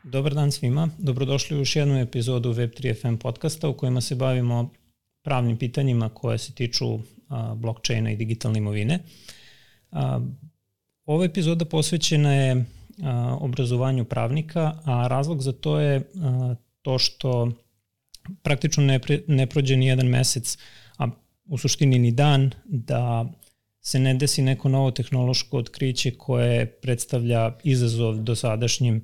Dobar dan svima, dobrodošli u još jednu epizodu Web3 FM podcasta u kojima se bavimo pravnim pitanjima koje se tiču blockchaina i digitalne imovine. Ova epizoda posvećena je obrazovanju pravnika, a razlog za to je to što praktično ne prođe ni jedan mesec, a u suštini ni dan, da se ne desi neko novo tehnološko otkriće koje predstavlja izazov dosadašnjim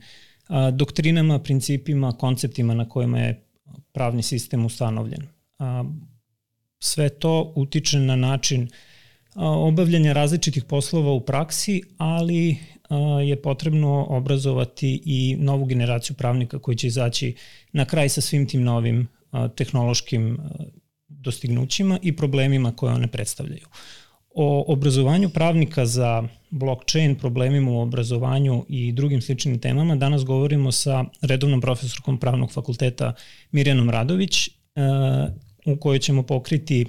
doktrinama, principima, konceptima na kojima je pravni sistem ustanovljen. Sve to utiče na način obavljanja različitih poslova u praksi, ali je potrebno obrazovati i novu generaciju pravnika koji će izaći na kraj sa svim tim novim tehnološkim dostignućima i problemima koje one predstavljaju. O obrazovanju pravnika za blockchain, problemima u obrazovanju i drugim sličnim temama danas govorimo sa redovnom profesorkom Pravnog fakulteta Mirjanom Radović, u kojoj ćemo pokriti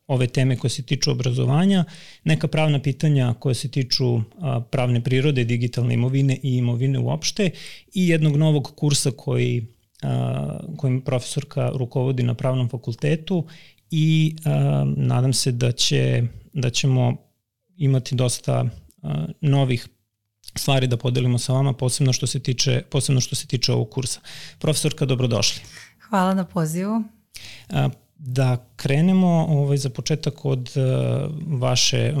ove teme koje se tiču obrazovanja, neka pravna pitanja koje se tiču pravne prirode, digitalne imovine i imovine uopšte i jednog novog kursa kojim profesorka rukovodi na Pravnom fakultetu i nadam se da ćemo imati dosta novih stvari da podelimo sa vama, posebno što se tiče ovog kursa. Profesorka, dobrodošli. Hvala na pozivu. Da krenemo za početak od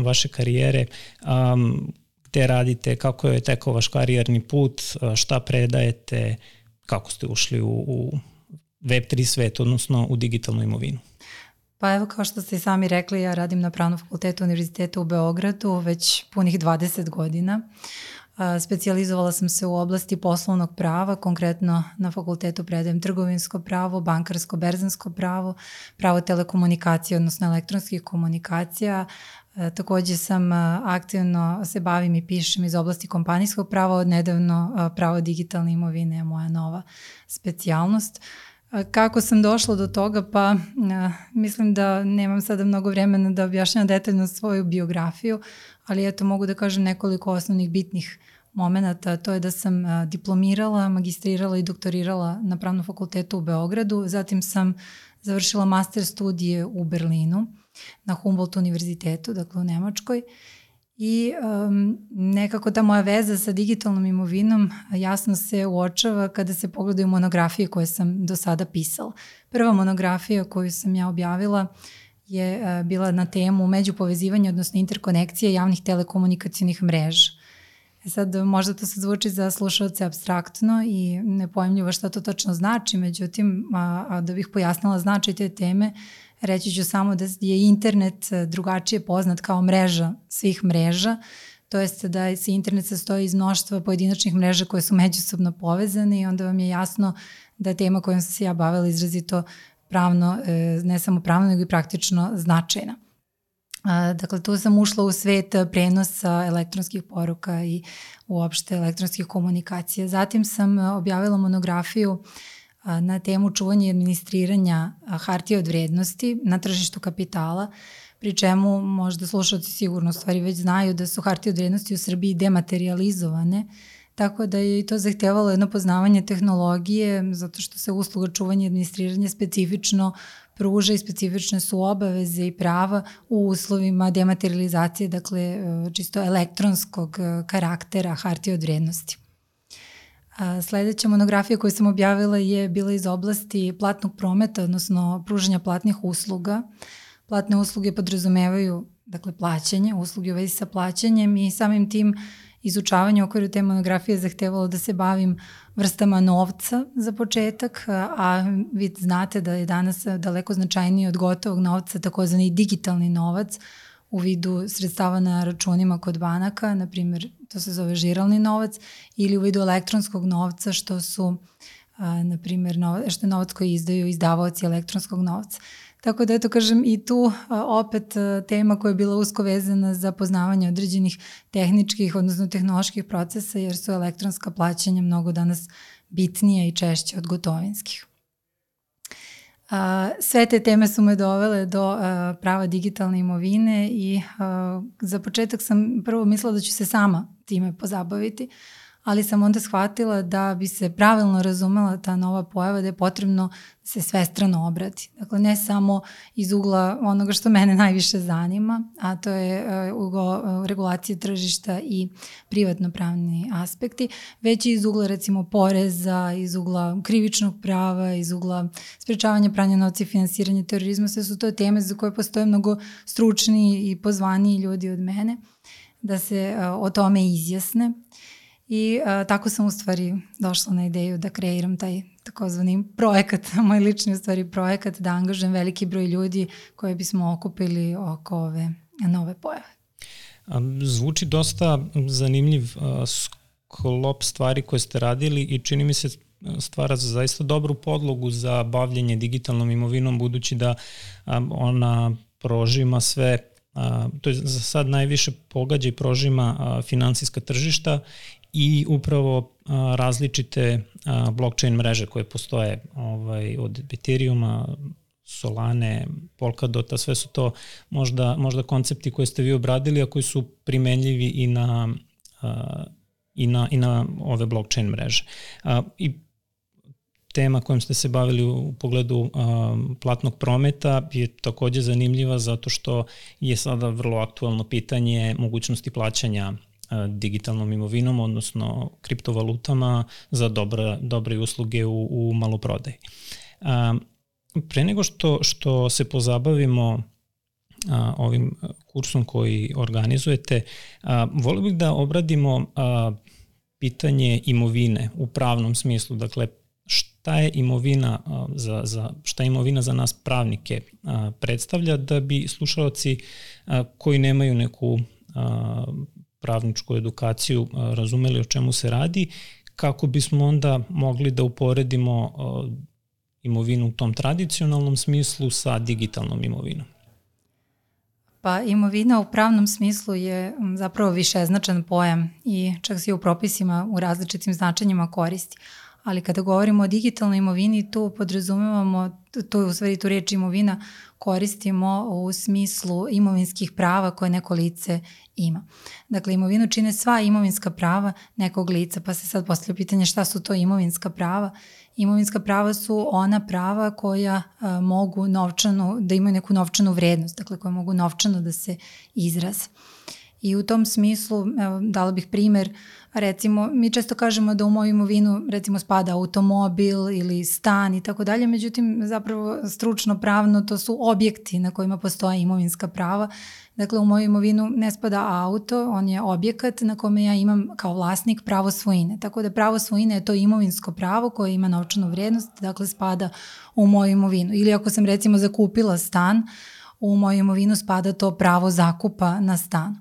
vaše karijere. Gde radite, kako je tekao vaš karijerni put, šta predajete, kako ste ušli u Web3 svet, odnosno u digitalnu imovinu? Pa evo, kao što ste i sami rekli, ja radim na Pravnom fakultetu Univerziteta u Beogradu već punih 20 godina. Specijalizovala sam se u oblasti poslovnog prava, konkretno na fakultetu predajem trgovinsko pravo, bankarsko, berzansko pravo, pravo telekomunikacije, odnosno elektronskih komunikacija. Takođe sam aktivno se bavim i pišem iz oblasti kompanijskog prava, od nedavno pravo digitalne imovine je moja nova specijalnost. Kako sam došla do toga? Pa mislim da nemam sada mnogo vremena da objašnjam detaljno svoju biografiju, ali eto mogu da kažem nekoliko osnovnih bitnih momenata. To je da sam diplomirala, magistrirala i doktorirala na Pravnom fakultetu u Beogradu, zatim sam završila master studije u Berlinu na Humboldt univerzitetu, dakle u Nemačkoj. I nekako ta moja veza sa digitalnom imovinom jasno se uočava kada se pogledaju monografije koje sam do sada pisala. Prva monografija koju sam ja objavila je bila na temu međupovezivanja, odnosno interkonekcije javnih telekomunikacijnih mreža. Sad možda to se zvuči za slušalce apstraktno i nepojmljivo šta to točno znači, međutim da bih pojasnila značaj te teme, reći ću samo da je internet drugačije poznat kao mreža svih mreža, to jest da se internet sastoji iz mnoštva pojedinačnih mreža koje su međusobno povezane i onda vam je jasno da tema kojom sam se ja bavila izrazito pravno, ne samo pravno nego i praktično značajna. Dakle, tu sam ušla u svet prenosa elektronskih poruka i uopšte elektronskih komunikacija. Zatim sam objavila monografiju na temu čuvanja i administriranja hartija od vrednosti na tržištu kapitala, pri čemu možda slušalci sigurno u stvari već znaju da su hartije od vrednosti u Srbiji dematerializovane, tako da je i to zahtevalo jedno poznavanje tehnologije, zato što se usluga čuvanja i administriranja specifično pruža i specifične su obaveze i prava u uslovima dematerializacije, dakle čisto elektronskog karaktera hartije od vrednosti. Sledeća monografija koju sam objavila je bila iz oblasti platnog prometa, odnosno pružanja platnih usluga. Platne usluge podrazumevaju, dakle, plaćanje, usluge u vezi sa plaćanjem i samim tim izučavanje u okviru te monografije zahtevalo da se bavim vrstama novca za početak, a vi znate da je danas daleko značajniji od gotovog novca takozvani digitalni novac u vidu sredstava na računima kod banaka, na primjer to se zove žiralni novac, ili u vidu elektronskog novca što su, na primjer, što je novac koji izdaju izdavaoci elektronskog novca. Tako da eto kažem i tu opet tema koja je bila usko vezana za poznavanje određenih tehničkih, odnosno tehnoloških procesa, jer su elektronska plaćanja mnogo danas bitnije i češće od gotovinskih. Sve te teme su me dovele do prava digitalne imovine i za početak sam prvo mislila da ću se sama time pozabaviti, ali sam onda shvatila da bi se pravilno razumela ta nova pojava, da je potrebno se svestrano obrati. Dakle, ne samo iz ugla onoga što mene najviše zanima, a to je ugao regulacije tržišta i privatno-pravni aspekti, već i iz ugla recimo poreza, iz ugla krivičnog prava, iz ugla sprečavanja pranja novca i finansiranja terorizma. Sve su to teme za koje postoje mnogo stručniji i pozvaniji ljudi od mene da se o tome izjasne. I tako sam u stvari došla na ideju da kreiram taj takozvani projekat, moj lični u stvari projekat, da angažujem veliki broj ljudi koje bismo okupili oko ove nove pojave. Zvuči dosta zanimljiv sklop stvari koje ste radili i čini mi se stvara zaista dobru podlogu za bavljenje digitalnom imovinom, budući da ona prožima sve, to je za sad najviše pogađa i prožima finansijska tržišta i upravo različite blockchain mreže koje postoje od Ethereuma, Solane, Polkadota, sve su to možda koncepti koje ste vi obradili, a koji su primenljivi i na ove blockchain mreže. I tema kojom ste se bavili u pogledu platnog prometa je takođe zanimljiva zato što je sada vrlo aktualno pitanje mogućnosti plaćanja digitalnom imovinom, odnosno kriptovalutama za dobre usluge u maloprodaji. Pre nego što se pozabavimo ovim kursom koji organizujete, volio bih da obradimo pitanje imovine u pravnom smislu. Dakle, šta je imovina za nas pravnike predstavlja, da bi slušalci koji nemaju neku pravničku edukaciju razumeli o čemu se radi, kako bismo onda mogli da uporedimo imovinu u tom tradicionalnom smislu sa digitalnom imovinom. Pa imovina u pravnom smislu je zapravo višeznačan pojam i čak se i u propisima u različitim značenjima koristi. Ali kada govorimo o digitalnoj imovini, tu podrazumevamo, tu reč imovina koristimo u smislu imovinskih prava koje neko lice ima. Dakle, imovinu čine sva imovinska prava nekog lica, pa se sad postavlja pitanje šta su to imovinska prava. Imovinska prava su ona prava koja mogu da imaju neku novčanu vrednost, dakle koja mogu novčano da se izraze. I u tom smislu, dala bih primer, recimo, mi često kažemo da u moju imovinu recimo spada automobil ili stan i tako dalje, međutim zapravo stručno pravno to su objekti na kojima postoje imovinska prava. Dakle, u moju imovinu ne spada auto, on je objekat na kome ja imam kao vlasnik pravo svojine. Tako da pravo svojine je to imovinsko pravo koje ima novčanu vrednost, dakle spada u moju imovinu. Ili ako sam recimo zakupila stan, u moju imovinu spada to pravo zakupa na stanu.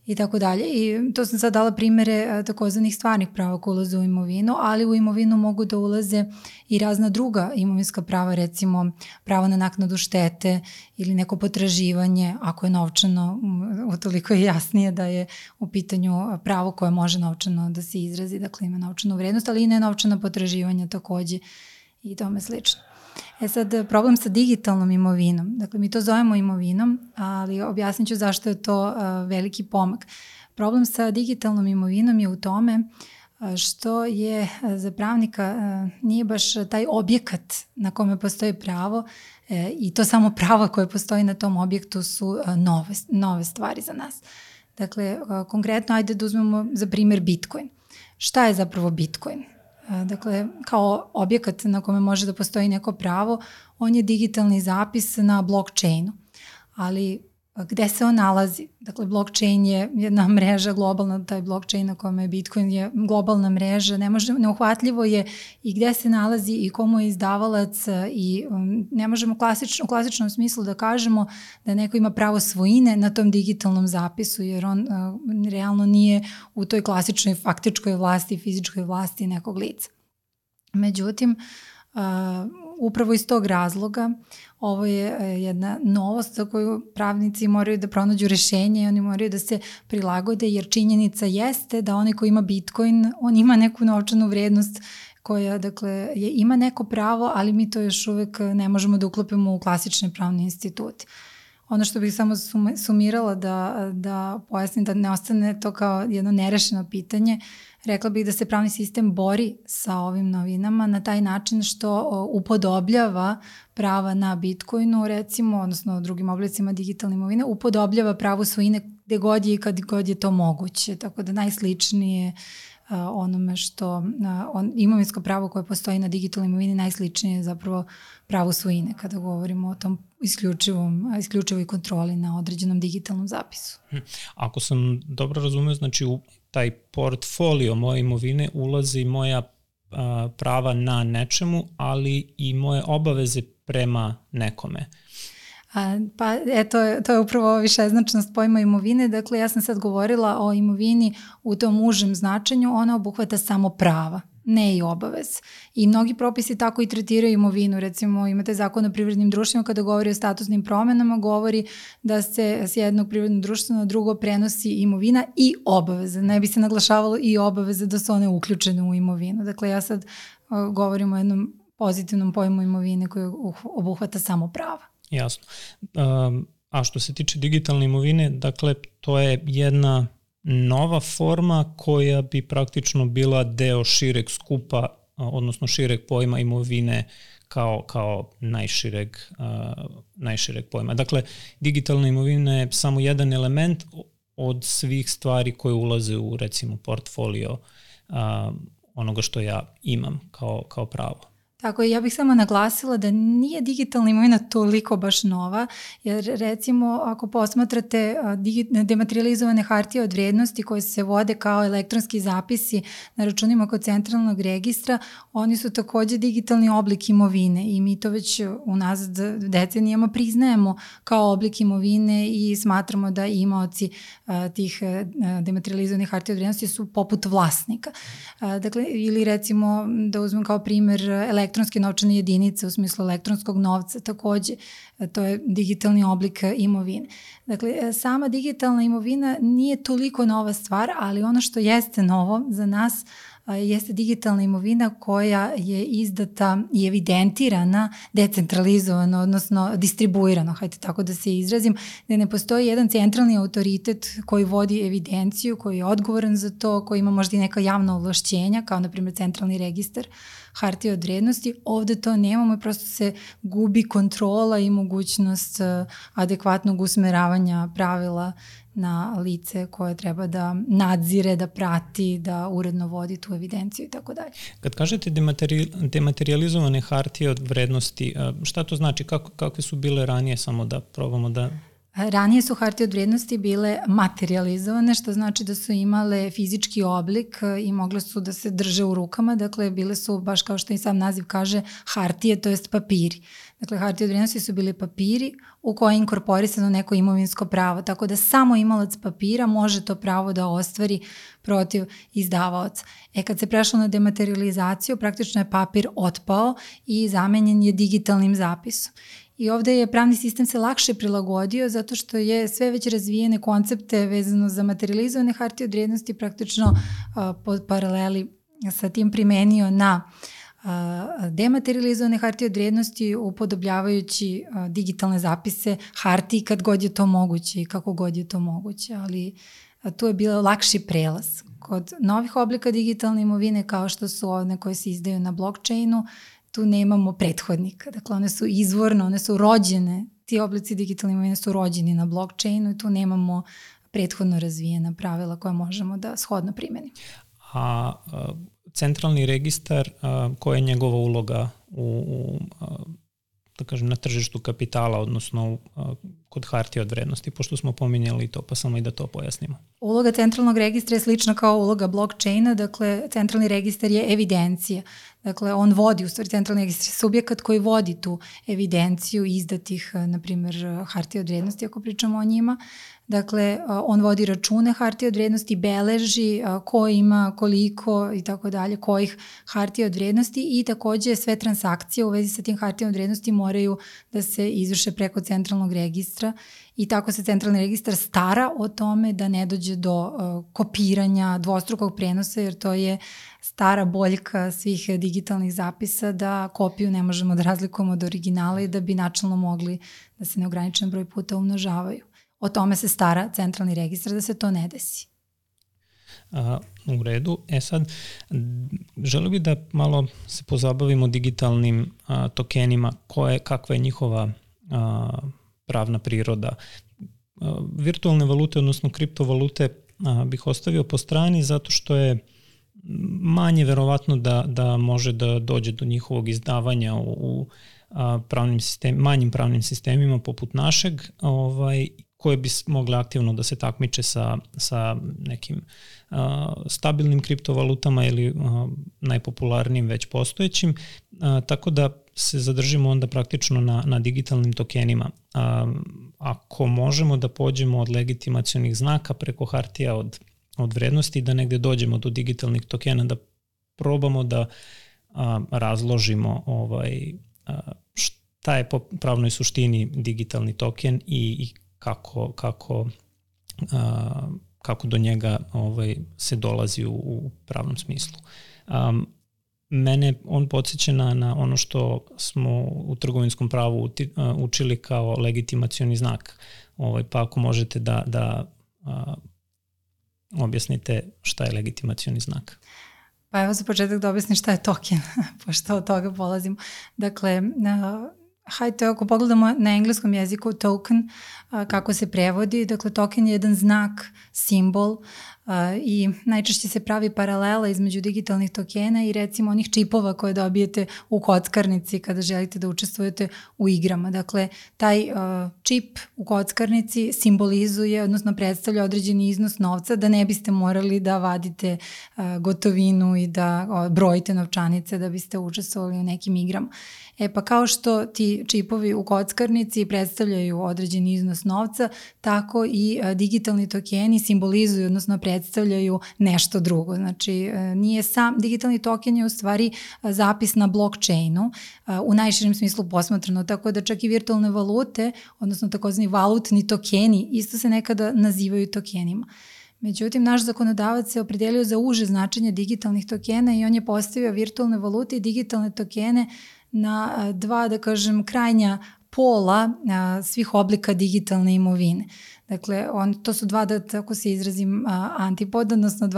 I tako dalje. I to sam sad dala primere takozvanih stvarnih prava koje ulaze u imovinu, ali u imovinu mogu da ulaze i razna druga imovinska prava, recimo pravo na naknadu štete ili neko potraživanje, ako je novčano, utoliko je jasnije da je u pitanju pravo koje može novčano da se izrazi, dakle ima novčanu vrednost, ali i nenovčana potraživanja takođe i tome slično. Sad, problem sa digitalnom imovinom, dakle mi to zovemo imovinom, ali objasnit ću zašto je to veliki pomak. Problem sa digitalnom imovinom je u tome što je za pravnika nije baš taj objekat na kome postoji pravo i to samo pravo koje postoji na tom objektu su nove stvari za nas. Dakle, konkretno, ajde da uzmemo za primjer Bitcoin. Šta je zapravo Bitcoin? Dakle, kao objekat na kome može da postoji neko pravo, on je digitalni zapis na blockchainu. Ali gde se on nalazi? Dakle, blockchain je jedna mreža globalna, taj blockchain na kome je Bitcoin je globalna mreža, neuhvatljivo je i gde se nalazi i komu je izdavalac i ne možemo u klasičnom smislu da kažemo da neko ima pravo svojine na tom digitalnom zapisu, jer on realno nije u toj klasičnoj faktičkoj vlasti, fizičkoj vlasti nekog lica. Međutim, upravo iz tog razloga ovo je jedna novost za koju pravnici moraju da pronađu rešenje i oni moraju da se prilagode, jer činjenica jeste da onaj ko ima Bitcoin, on ima neku novčanu vrednost koja dakle, ima neko pravo, ali mi to još uvek ne možemo da uklopimo u klasične pravne institute. Ono što bih samo sumirala da pojasnim da ne ostane to kao jedno nerešeno pitanje, rekla bih da se pravni sistem bori sa ovim novinama na taj način što upodobljava prava na Bitcoinu, recimo, odnosno drugim oblicima digitalne imovine, upodobljava pravo svojine gde god je i kad god je to moguće. Tako da najsličnije onome što imovinsko pravo koje postoji na digitalnoj imovini najsličnije je zapravo pravo svojine kada govorimo o tom isključivoj kontroli na određenom digitalnom zapisu. Ako sam dobro razumeo, znači u taj portfolio moje imovine ulazi moja prava na nečemu, ali i moje obaveze prema nekome. Pa eto, to je upravo višeznačnost pojma imovine. Dakle, ja sam sad govorila o imovini u tom užem značenju, ona obuhvata samo prava, ne i obavez. I mnogi propisi tako i tretiraju imovinu. Recimo, imate zakon o privrednim društvima kada govori o statusnim promenama, govori da se s jednog privrednog društva na drugo prenosi imovina i obaveze. Ne bi se naglašavalo i obaveze da su one uključene u imovinu. Dakle, ja sad govorim o jednom pozitivnom pojmu imovine koji obuhvata samo prava. Jasno. A što se tiče digitalne imovine, dakle, to je jedna nova forma koja bi praktično bila deo šireg skupa, odnosno šireg pojma imovine kao najšireg pojma. Dakle, digitalna imovina je samo jedan element od svih stvari koje ulaze u, recimo, portfolio onoga što ja imam kao pravo. Tako je, ja bih samo naglasila da nije digitalna imovina toliko baš nova, jer recimo ako posmatrate dematerializovane hartije od vrednosti koje se vode kao elektronski zapisi na računima kod centralnog registra, oni su takođe digitalni oblik imovine i mi to već unazad decenijama priznajemo kao oblik imovine i smatramo da imaoci tih dematerializovanih hartija od vrednosti su poput vlasnika. Dakle, ili recimo da uzmem kao primer elektronske novčane jedinice u smislu elektronskog novca, takođe to je digitalni oblik imovine. Dakle, sama digitalna imovina nije toliko nova stvar, ali ono što jeste novo za nas jeste digitalna imovina koja je izdata i evidentirana decentralizovano, odnosno distribuirano, hajde tako da se izrazim, da ne postoji jedan centralni autoritet koji vodi evidenciju, koji je odgovoran za to, koji ima možda i neka javna ovlašćenja, kao na primjer centralni registar hartije od vrednosti. Ovde to nemamo i prosto se gubi kontrola i mogućnost adekvatnog usmeravanja pravila na lice koje treba da nadzire, da prati, da uredno vodi tu evidenciju i tako dalje. Kad kažete dematerializovane hartije od vrednosti, šta to znači? Kakve su bile ranije, samo da probamo da... Ranije su hartije od vrednosti bile materializovane, što znači da su imale fizički oblik i mogle su da se drže u rukama, dakle bile su, baš kao što i sam naziv kaže, hartije, to jest papiri. Dakle, hartije od vrednosti su bili papiri u koje je inkorporisano neko imovinsko pravo, tako da samo imalac papira može to pravo da ostvari protiv izdavaoca. Kad se prešlo na dematerializaciju, praktično je papir otpao i zamenjen je digitalnim zapisom. I ovde je pravni sistem se lakše prilagodio zato što je sve već razvijene koncepte vezano za materializovane hartije od vrednosti praktično pod paraleli sa tim primenio na dematerializovane hartije od vrednosti upodobljavajući digitalne zapise hartiji kad god je to moguće i kako god je to moguće, ali tu je bilo lakši prelaz. Kod novih oblika digitalne imovine kao što su one koje se izdaju na blockchainu, tu nemamo prethodnika. Dakle, one su izvorno, one su rođene, ti oblici digitalne imovine su rođeni na blockchainu i tu nemamo prethodno razvijena pravila koja možemo da shodno primenimo. A centralni registar, koja je njegova uloga da kažem, na tržištu kapitala, odnosno kod hartija od vrednosti, pošto smo pominjali to, pa samo i da to pojasnimo. Uloga centralnog registra je slična kao uloga blockchaina, dakle centralni registar je evidencija. Dakle, on vodi, u stvari centralni registar je subjekat koji vodi tu evidenciju izdatih, na primjer, hartija od vrednosti, ako pričamo o njima. Dakle, on vodi račune hartije od vrednosti, beleži ko ima, koliko i tako dalje, kojih hartija od vrednosti i takođe sve transakcije u vezi sa tim hartijama od vrednosti moraju da se izvrše preko centralnog registra i tako se centralni registar stara o tome da ne dođe do kopiranja, dvostrukog prenosa, jer to je stara boljka svih digitalnih zapisa da kopiju ne možemo da razlikujemo od originala i da bi načelno mogli da se neograničen broj puta umnožavaju. O tome se stara centralni registar da se to ne desi. U redu. Sad, želeo bih da malo se pozabavimo digitalnim tokenima, kakva je njihova pravna priroda. Virtualne valute, odnosno kriptovalute, bih ostavio po strani zato što je manje verovatno da može da dođe do njihovog izdavanja u manjim pravnim sistemima poput našeg, koje bi mogle aktivno da se takmiče sa nekim stabilnim kriptovalutama ili najpopularnijim već postojećim, tako da se zadržimo onda praktično na digitalnim tokenima. Ako možemo da pođemo od legitimacionih znaka preko hartija od vrednosti, da negde dođemo do digitalnih tokena, da probamo da razložimo šta je po pravnoj suštini digitalni token i kako do njega se dolazi u pravnom smislu. Mene on podsjeća na ono što smo u trgovinskom pravu učili kao legitimacioni znak. Pa ako možete da objasnite šta je legitimacioni znak. Pa evo za početak da objasnim šta je token, pošto od toga polazimo. Dakle, hajde, ako pogledamo na engleskom jeziku token, kako se prevodi, dakle token je jedan znak, simbol i najčešće se pravi paralela između digitalnih tokena i recimo onih čipova koje dobijete u kockarnici kada želite da učestvujete u igrama. Dakle, taj čip u kockarnici simbolizuje, odnosno predstavlja određeni iznos novca da ne biste morali da vadite gotovinu i da brojite novčanice da biste učestvovali u nekim igrama. Pa kao što ti čipovi u kockarnici predstavljaju određeni iznos novca, tako i digitalni tokeni simbolizuju, odnosno predstavljaju nešto drugo. Znači, digitalni token je u stvari zapis na blockchainu, u najširem smislu posmatrano, tako da čak i virtualne valute, odnosno takozvani valutni tokeni, isto se nekada nazivaju tokenima. Međutim, naš zakonodavac se opredelio za uže značenje digitalnih tokena i on je postavio virtualne valute i digitalne tokene na dva, da kažem, krajnja pola svih oblika digitalne imovine. Dakle, to su dva, da tako se izrazim, antipoda, odnosno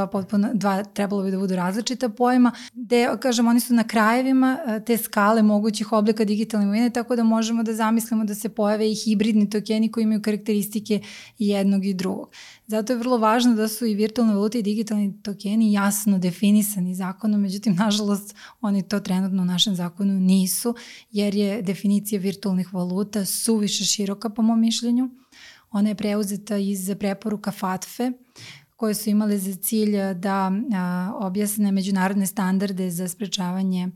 dva trebalo bi da budu različita pojma, gde, kažem, oni su na krajevima te skale mogućih oblika digitalne imovine, tako da možemo da zamislimo da se pojave i hibridni tokeni koji imaju karakteristike jednog i drugog. Zato je vrlo važno da su i virtualne valute i digitalni tokeni jasno definisani zakonom, međutim, nažalost, oni to trenutno u našem zakonu nisu, jer je definicija virtualnih valuta suviše široka po mom mišljenju. Ona je preuzeta iz preporuka FATFE, koje su imale za cilj da objasne međunarodne standarde za sprečavanje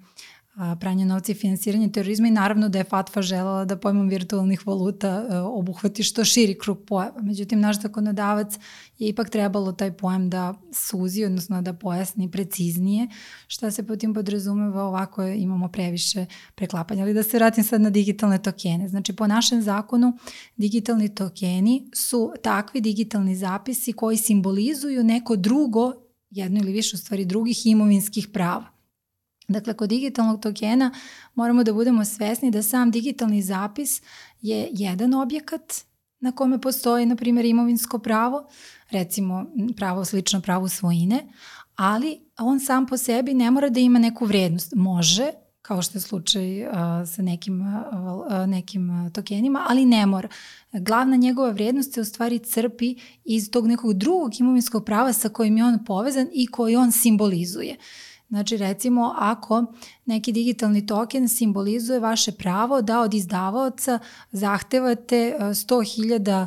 pranja novca i finansiranje terorizma i naravno da je FATFA želela da pojmom virtualnih valuta obuhvati što širi krug pojava. Međutim, naš zakonodavac je ipak trebalo taj pojam da suzi, odnosno da pojasni preciznije šta se po tim podrazumeva, ovako imamo previše preklapanja. Ali da se vratim sad na digitalne tokene. Znači, po našem zakonu digitalni tokeni su takvi digitalni zapisi koji simbolizuju neko drugo, jedno ili više u stvari drugih imovinskih prava. Dakle, kod digitalnog tokena moramo da budemo svesni da sam digitalni zapis je jedan objekat na kome postoji, na primjer, imovinsko pravo, recimo pravo slično pravu svojine, ali on sam po sebi ne mora da ima neku vrednost. Može, kao što je slučaj sa nekim tokenima, ali ne mora. Glavna njegova vrednost se u stvari crpi iz tog nekog drugog imovinskog prava sa kojim je on povezan i koji on simbolizuje. Znači, recimo, ako neki digitalni token simbolizuje vaše pravo da od izdavaoca zahtevate 100.000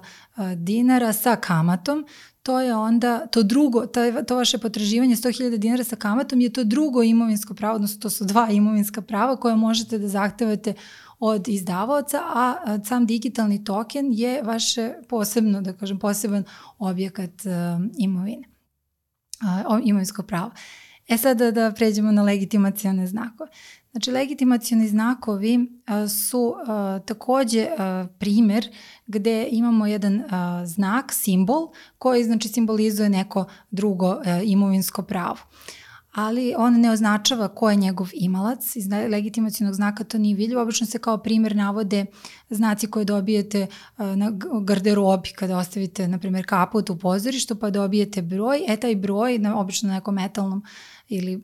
dinara sa kamatom, to je onda to drugo, to vaše potraživanje 100.000 dinara sa kamatom je to drugo imovinsko pravo, odnosno to su dva imovinska prava koje možete da zahtevate od izdavaoca, a sam digitalni token je vaše posebno, da kažem, poseban objekat imovine, imovinsko pravo. Sada da pređemo na legitimacione znakove. Znači, legitimacioni znakovi su takođe primer gde imamo jedan znak, simbol, koji znači simbolizuje neko drugo imovinsko pravo. Ali on ne označava ko je njegov imalac. Iz legitimacionog znaka to nije vidljivo. Obično se kao primer navode znaci koje dobijete na garderobi kada ostavite, na primjer, kaput u pozorištu, pa dobijete broj. Taj broj, obično na nekom metalnom ili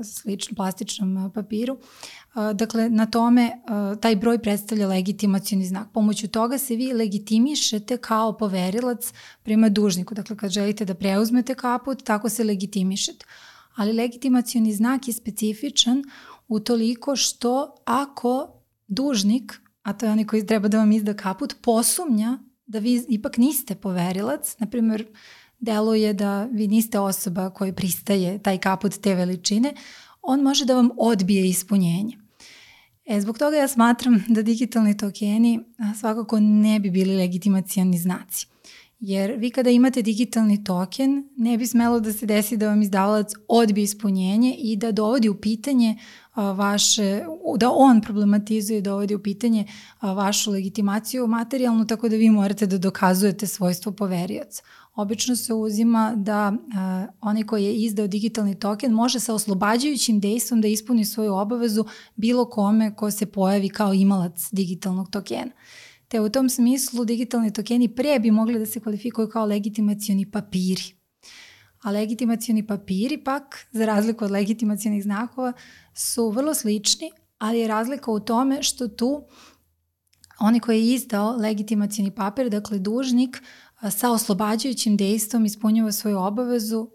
sličnom plastičnom papiru, dakle, na tome taj broj predstavlja legitimacioni znak. Pomoću toga se vi legitimišete kao poverilac prema dužniku. Dakle, kad želite da preuzmete kaput, tako se legitimišete. Ali legitimacioni znak je specifičan utoliko što ako dužnik, a to je onaj koji treba da vam izda kaput, posumnja da vi ipak niste poverilac, na primjer, deluje da vi niste osoba koja pristaje taj kaput te veličine, on može da vam odbije ispunjenje. Zbog toga ja smatram da digitalni tokeni svakako ne bi bili legitimacioni znaci. Jer vi kada imate digitalni token, ne bi smelo da se desi da vam izdavalac odbije ispunjenje i da dovodi u pitanje da on problematizuje, dovodi u pitanje vašu legitimaciju materijalnu, tako da vi morate da dokazujete svojstvo poverioca. Obično se uzima da onaj koji je izdao digitalni token može sa oslobađajućim dejstvom da ispuni svoju obavezu bilo kome ko se pojavi kao imalac digitalnog tokena. Te u tom smislu digitalni tokeni pre bi mogli da se kvalifikuju kao legitimacioni papiri. A legitimacioni papiri pak, za razliku od legitimacionih znakova, su vrlo slični, ali je razlika u tome što tu onaj koji je izdao legitimacioni papir, dakle dužnik, sa oslobađajućim dejstvom ispunjava svoju obavezu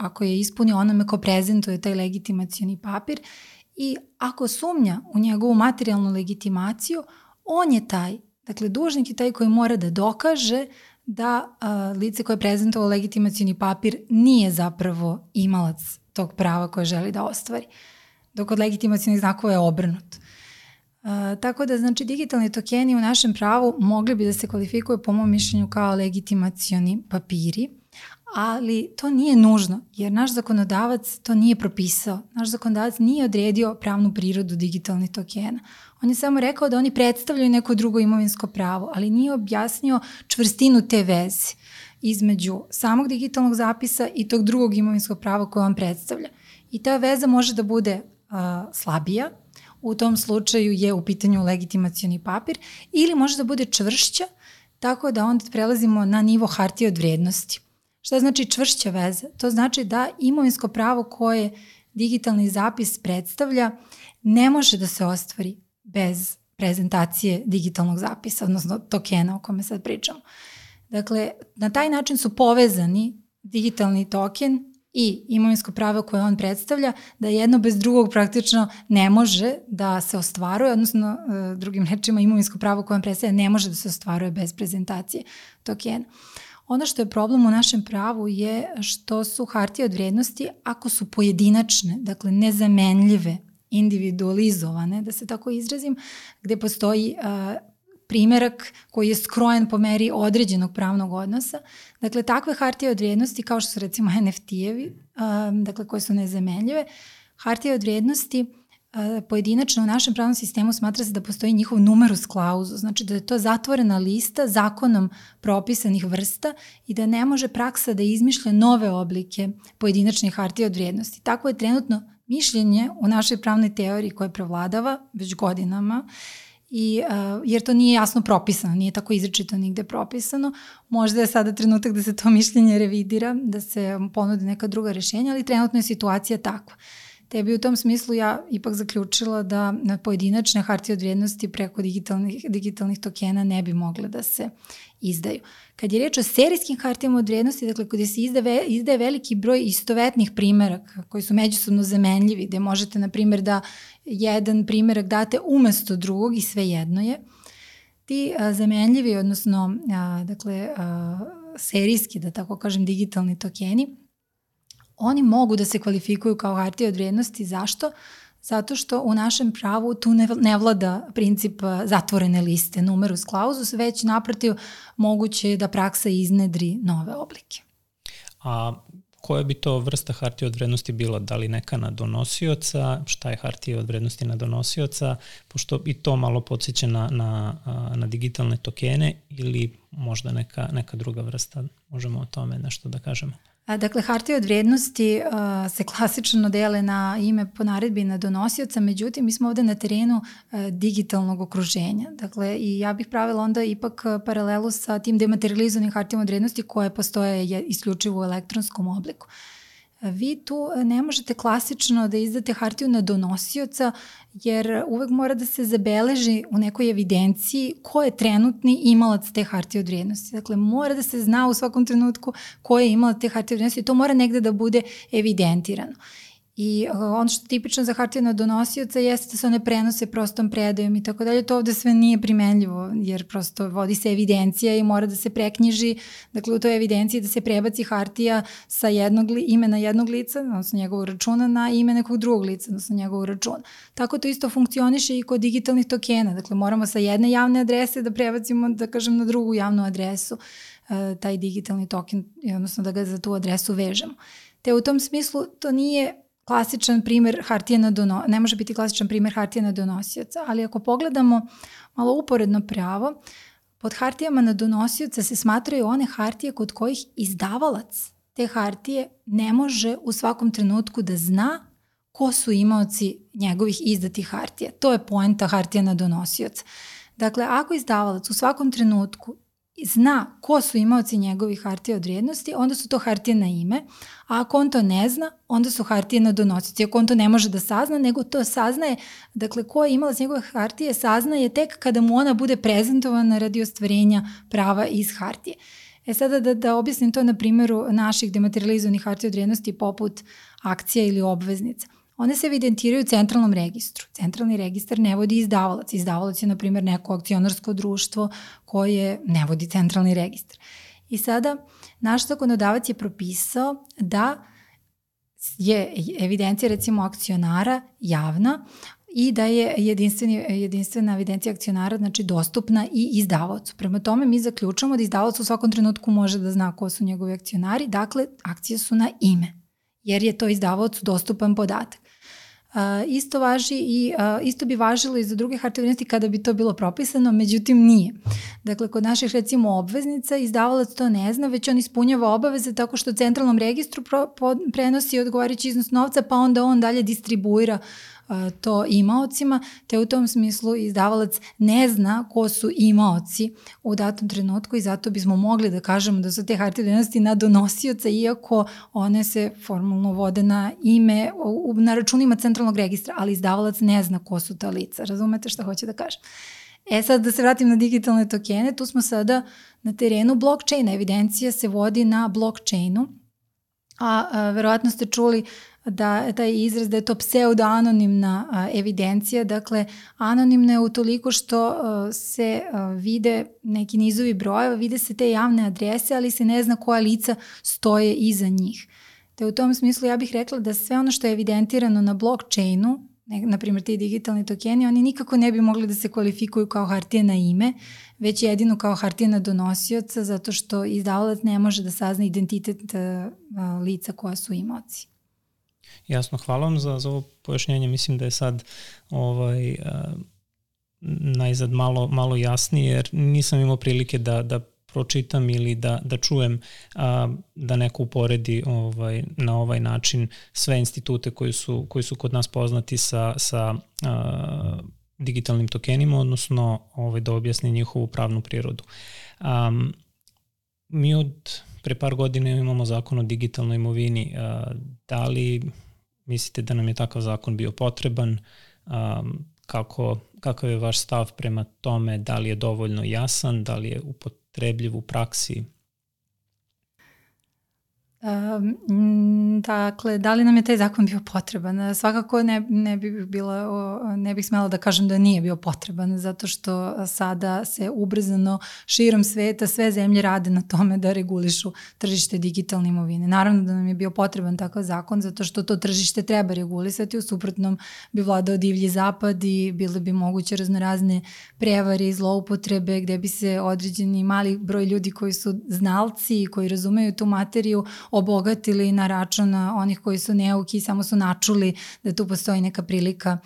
ako je ispunio onome ko prezentuje taj legitimacioni papir i ako sumnja u njegovu materijalnu legitimaciju, on je taj, dakle dužnik je taj koji mora da dokaže da lice koje je prezentovalo legitimacioni papir nije zapravo imalac tog prava koje želi da ostvari, dok od legitimacionih znakova je obrnuto. Tako da, znači, digitalni tokeni u našem pravu mogli bi da se kvalifikuju po mom mišljenju kao legitimacioni papiri, ali to nije nužno, jer naš zakonodavac to nije propisao. Naš zakonodavac nije odredio pravnu prirodu digitalnih tokena. On je samo rekao da oni predstavljaju neko drugo imovinsko pravo, ali nije objasnio čvrstinu te veze između samog digitalnog zapisa i tog drugog imovinskog prava koje on predstavlja. I ta veza može da bude slabija, u tom slučaju je u pitanju legitimacioni papir, ili može da bude čvršća, tako da onda prelazimo na nivo hartije od vrednosti. Šta znači čvršća veza? To znači da imovinsko pravo koje digitalni zapis predstavlja ne može da se ostvari bez prezentacije digitalnog zapisa, odnosno tokena o kome sad pričamo. Dakle, na taj način su povezani digitalni token i imovinsko pravo koje on predstavlja, da jedno bez drugog praktično ne može da se ostvaruje, odnosno drugim rečima imovinsko pravo koje on predstavlja ne može da se ostvaruje bez prezentacije tokena. Ono što je problem u našem pravu je što su hartije od vrednosti, ako su pojedinačne, dakle nezamenljive, individualizovane, da se tako izrazim, gde postoji primerak koji je skrojen po meri određenog pravnog odnosa. Dakle, takve hartije od vrednosti, kao što su recimo NFT-evi, dakle, koje su nezamenljive, hartije od vrednosti pojedinačno u našem pravnom sistemu smatra se da postoji njihov numerus clausus, znači da je to zatvorena lista zakonom propisanih vrsta i da ne može praksa da izmišlja nove oblike pojedinačnih hartija od vrednosti. Tako je trenutno mišljenje u našoj pravnoj teoriji koje prevladava već godinama, jer to nije jasno propisano, nije tako izričito nigde propisano. Možda je sada trenutak da se to mišljenje revidira, da se ponude neka druga rešenja, ali trenutno je situacija takva. Te bi u tom smislu ja ipak zaključila da pojedinačne hartije od vrednosti preko digitalnih tokena ne bi mogle da se izdaju. Kad je reč o serijskim hartijama od vrednosti, dakle gde se izdaje veliki broj istovetnih primeraka koji su međusobno zamenljivi, gde možete, na primjer, da jedan primerak date umesto drugog i sve jedno je, ti zamenljivi, odnosno serijski, da tako kažem, digitalni tokeni, oni mogu da se kvalifikuju kao hartije od vrednosti. Zašto? Zato što u našem pravu tu ne vlada princip zatvorene liste numerus clausus, već naprotiv moguće je da praksa iznedri nove oblike. A koja bi to vrsta hartije od vrednosti bila? Da li neka na donosioca? Šta je hartija od vrednosti na donosioca? Pošto i to malo podsjeća na digitalne tokene ili možda neka druga vrsta. Možemo o tome nešto da kažemo. Dakle, hartije od vrednosti se klasično dele na ime po naredbi i na donosioca, međutim, mi smo ovde na terenu digitalnog okruženja. Dakle, i ja bih pravila onda ipak paralelu sa tim dematerializovanim hartijama od vrednosti koje postoje isključivo u elektronskom obliku. Vi tu ne možete klasično da izdate hartiju na donosioca, jer uvek mora da se zabeleži u nekoj evidenciji ko je trenutni imalac te hartije od vrijednosti. Dakle, mora da se zna u svakom trenutku ko je imalac te hartije od vrijednosti i to mora negde da bude evidentirano. I ono što je tipično za hartije na donosioca jeste da se one prenose prostom predajom i tako dalje. To ovde sve nije primenljivo jer prosto vodi se evidencija i mora da se preknjiži, dakle u toj evidenciji da se prebaci hartija sa imena jednog lica, odnosno njegovog računa, na ime nekog drugog lica, odnosno njegovog računa. Tako to isto funkcioniše i kod digitalnih tokena. Dakle, moramo sa jedne javne adrese da prebacimo, da kažem, na drugu javnu adresu taj digitalni token, odnosno da ga za tu adresu vežemo. Te u tom smislu to nije klasičan primer hartije ne može biti klasičan primer hartije na donosioca, ali ako pogledamo malo uporedno pravo, pod hartijama na donosioca se smatraju one hartije kod kojih izdavalac te hartije ne može u svakom trenutku da zna ko su imaoci njegovih izdatih hartija. To je poenta hartija na donosioca. Dakle, ako izdavalac u svakom trenutku zna ko su imaoci njegovih hartija od vrijednosti, onda su to hartije na ime, a ako on to ne zna, onda su hartije na donosioci. Ako on to ne može da sazna, nego to saznaje, dakle, ko je imalac njegove hartije saznaje tek kada mu ona bude prezentovana radi ostvarenja prava iz hartije. Sada da objasnim to na primjeru naših dematerializovanih hartija od vrijednosti poput akcija ili obveznica. One se evidentiraju u centralnom registru. Centralni registar ne vodi izdavalac. Izdavalac je, na primjer, neko akcionarsko društvo koje ne vodi centralni registar. I sada naš zakonodavac je propisao da je evidencija, recimo, akcionara javna i da je jedinstvena evidencija akcionara, znači, dostupna i izdavaocu. Prema tome mi zaključujemo da izdavalac u svakom trenutku može da zna ko su njegovi akcionari, dakle, akcije su na ime, jer je to izdavaocu dostupan podatak. Isto bi važilo i za druge hartije od vrednosti kada bi to bilo propisano, međutim nije. Dakle, kod naših, recimo, obveznica, izdavalac to ne zna, već on ispunjava obaveze tako što centralnom registru prenosi odgovarajući iznos novca, pa onda on dalje distribuira to imaocima, te u tom smislu izdavalac ne zna ko su imaoci u datom trenutku i zato bismo mogli da kažemo da su te hartije od vrednosti na donosioca, iako one se formalno vode na ime, na računima centralnog registra, ali izdavalac ne zna ko su ta lica. Razumete šta hoće da kažem? Sad da se vratim na digitalne tokene, tu smo sada na terenu blockchaina. Evidencija se vodi na blockchainu, a verovatno ste čuli da taj izraz da je to pseudo-anonimna evidencija, dakle anonimna je utoliko što se vide neki nizovi brojeva, vide se te javne adrese, ali se ne zna koja lica stoje iza njih. Te u tom smislu ja bih rekla da sve ono što je evidentirano na blockchainu, na primjer ti digitalni tokeni, oni nikako ne bi mogli da se kvalifikuju kao hartije na ime, već jedino kao hartije na donosioca, zato što izdavalac ne može da sazna identitet lica koja su imaoci. Jasno, hvala vam za ovo pojašnjenje. Mislim da je sad najzad malo jasnije, jer nisam imao prilike da pročitam ili da čujem da neko uporedi na ovaj način sve institute koji su kod nas poznati sa digitalnim tokenima, odnosno da objasni njihovu pravnu prirodu. Mi od pre par godina imamo zakon o digitalnoj imovini. Da li mislite da nam je takav zakon bio potreban? Kakav je vaš stav prema tome? Da li je dovoljno jasan? Da li je upotrebljiv u praksi? Dakle, da li nam je taj zakon bio potreban? Svakako ne bih smela da kažem da nije bio potreban, zato što sada se ubrzano širom sveta sve zemlje rade na tome da regulišu tržište digitalne imovine. Naravno da nam je bio potreban takav zakon, zato što to tržište treba regulisati, u suprotnom bi vladao divlji zapad i bile bi moguće raznorazne prevare i zloupotrebe gde bi se određeni mali broj ljudi koji su znalci i koji razumeju tu materiju obogatili na račun onih koji su neuki i samo su načuli da tu postoji neka prilika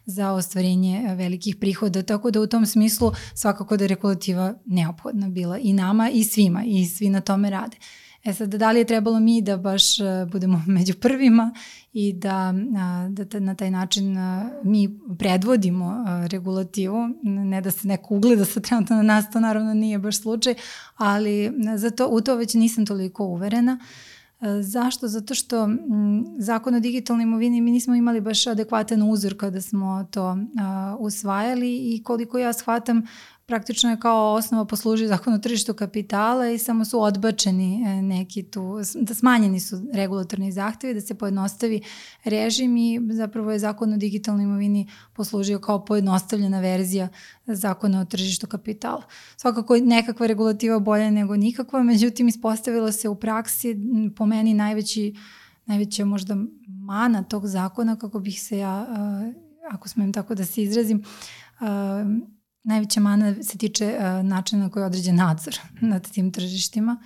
za ostvarenje velikih prihoda. Tako da u tom smislu svakako da je regulativa neophodna bila i nama i svima i svi na tome rade. Sad, da li je trebalo mi da baš budemo među prvima i da na taj način mi predvodimo regulativu, ne da se neko ugleda sa trenutno na nas, to naravno nije baš slučaj, ali u to već nisam toliko uverena. Zašto? Zato što zakon o digitalnoj imovini mi nismo imali baš adekvatan uzor kada smo to usvajali i koliko ja shvatam, praktično je kao osnova poslužio zakon o tržištu kapitala i samo su odbačeni neki tu, da smanjeni su regulatorni zahtevi, da se pojednostavi režim i zapravo je zakon o digitalnoj imovini poslužio kao pojednostavljena verzija zakona o tržištu kapitala. Svakako je nekakva regulativa bolja nego nikakva, međutim ispostavilo se u praksi po meni najveća možda mana tog zakona, kako bih se ja, ako smem tako da se izrazim, najveća mana se tiče načina na koji je određen nadzor nad tim tržištima.